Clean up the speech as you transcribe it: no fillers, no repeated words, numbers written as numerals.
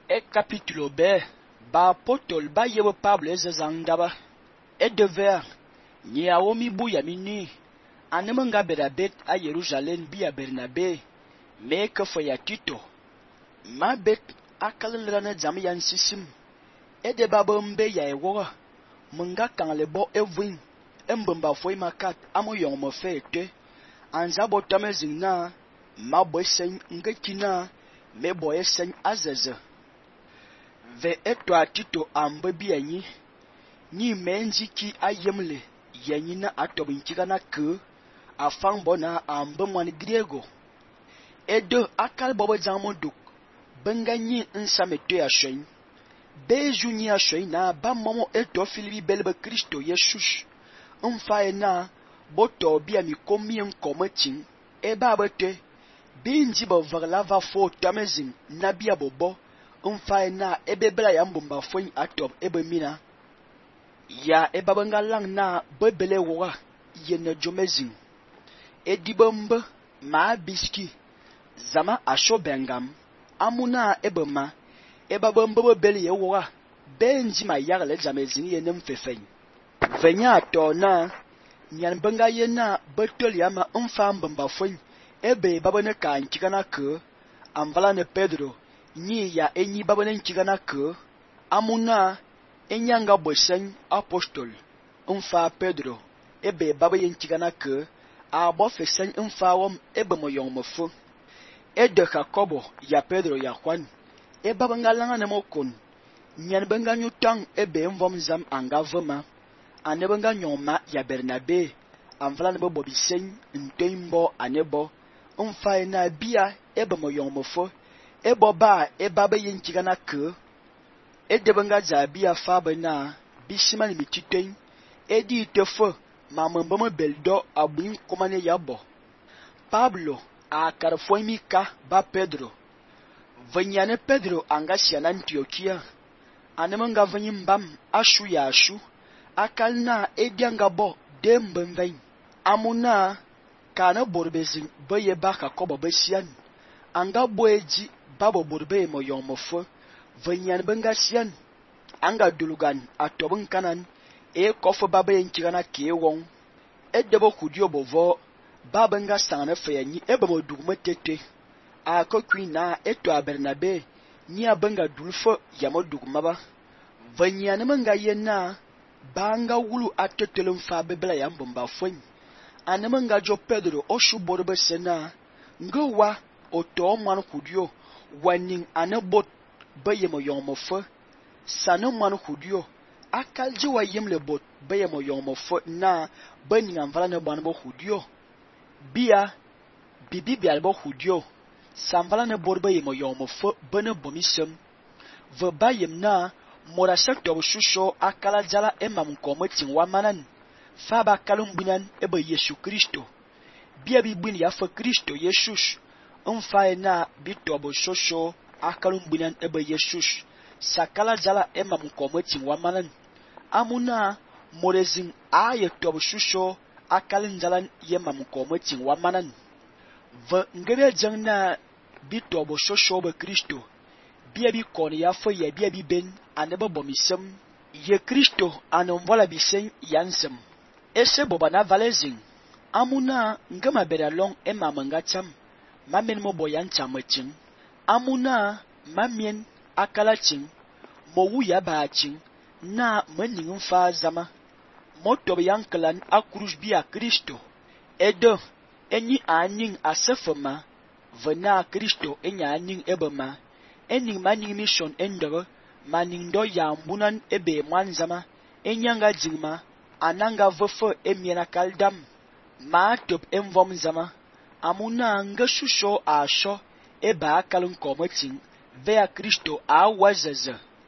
E capítulo B, ba apôstole ba yebe Pablo ezazangdaba. E dever, ni aomi buya mini, anemenga berabet a Jerusalem biya Bernabe, me ke ya Tito. Ma bet akalelrana jam yan sisim. E de babembe ya ewoga, menga kangle bo evwin, embemba foi makat amo yong me fe ete. Anza botame zingna, ma boisen ngekina, me boyesen azeze. Ve etwa Tito ambe biyanyi, ni menji ki ayemle, yanyi na atobinkiga na ke, afang bona ambe mwan griego. Edo akal bobo jamonduk, benga nyi nsame to ya shen. Beju nyi ya shen na ba momo eto filibi belbe Kristo Yesus. Mfae na, boto biya mi komi nkometin, eba bete, binji bo vagla va fo tamezin, na biya bobo, mfae na ebebela ya mbumba fwen atob ebe mina. Ya ebabenga lang na bebele woga, yene jomezin. Edibembe, ma biski, zama asho bengam, amuna ebema, ebabembe bebele ye woga, benji ma yagle jamezin yene mfefen. Venya ato na, nyan benga yena betol yama mfa mbumba fwen, ebe babene ka nkigana ke, amvala ne Pedro, nyi ya enyi babene nkigana ke, amuna enyanga bosen apostol, mfa Pedro, ebe babaye nkigana ke, abo fesen mfa wom ebe moyong mofo. Ede Jacobo ya Pedro ya Juan, ebe benga langa ne mokon, nyan benga nyutang ebe mvom zam anga vema, ane benga nyoma ya Bernabe, amvala ne bobisen ntoimbo anebo, mfa na bia ebe moyong mofo, ebo ba eba baye nkigana ke, edebenga zabia fabe na bisimani mititen, edi tefo mamembeme beldo abuin komane yabo. Pablo a karfoimika ba Pedro. Venyane Pedro angasia na Antiokia. Anemenga venyimbam ashu ya ashu. Akalna edianga bo dembemvein. Amuna kana borbezin beye baka kobo besian. Anga boeji babo borbe moyon mofo. Venyan benga sian. Anga dulugan atobun kanan. E kofo babe nkigana ke won. E debo kudio bovo. Babenga sangane feyanyi ebe mo dugme tete. A kokwi na eto a Bernabe. Ni a benga dulfo yamo dugmaba. Venyane menga yena. Banga wulu atetele mfa bebela ya mbomba fwen. Anemenga jo Pedro oshu borbe sena. Ngewa oto mwan kudio. Waning anebot beye mo yon mo fe. Sane mwan kudio. Akalji wa yemle bot beye mo yon mo fe na bening anvala ne banbo kudio. Bia bibi bialbo kudio. Samvala ne bot beye mo yon mo fe bene bomisem. Ve bayem na mora sektor shusho akala jala emam kometin wamanan. Faba kalum binan ebe Yesu Kristo. Bia bibin ya fe Kristo Yesus. Mfae na bitobo shosho akalum binan ebe Yesus. Sakala jala emam kometin wamanan. Amuna morezin aye tobo shusho akalin jalan yemam kometin wamanan. Ve ngebe jeng na bitobo shosho be Kristo. Bia bi koni ya fe ya bia bi ben anebe bomisem. Ye Kristo anomvola bisen yansem. Ese boba na valezin. Amuna ngema beralong emamenga cham. Mamen mo boyan chamaching. Amuna mamien akalaching. Mo wuya baaching. Na mening mfa zama. Motob yankelan akruj bia Kristo. Edo enyi aning asefema. Vena Kristo enya aning ebema. Ening maning mission endere. Maning do yambunan ebe mwanzama. Enyanga jingma. Ananga vefe emiena kaldam. Ma top emvom zama. Amuna nge shusho asho eba akalun kometin. Vea Kristo a wazeze.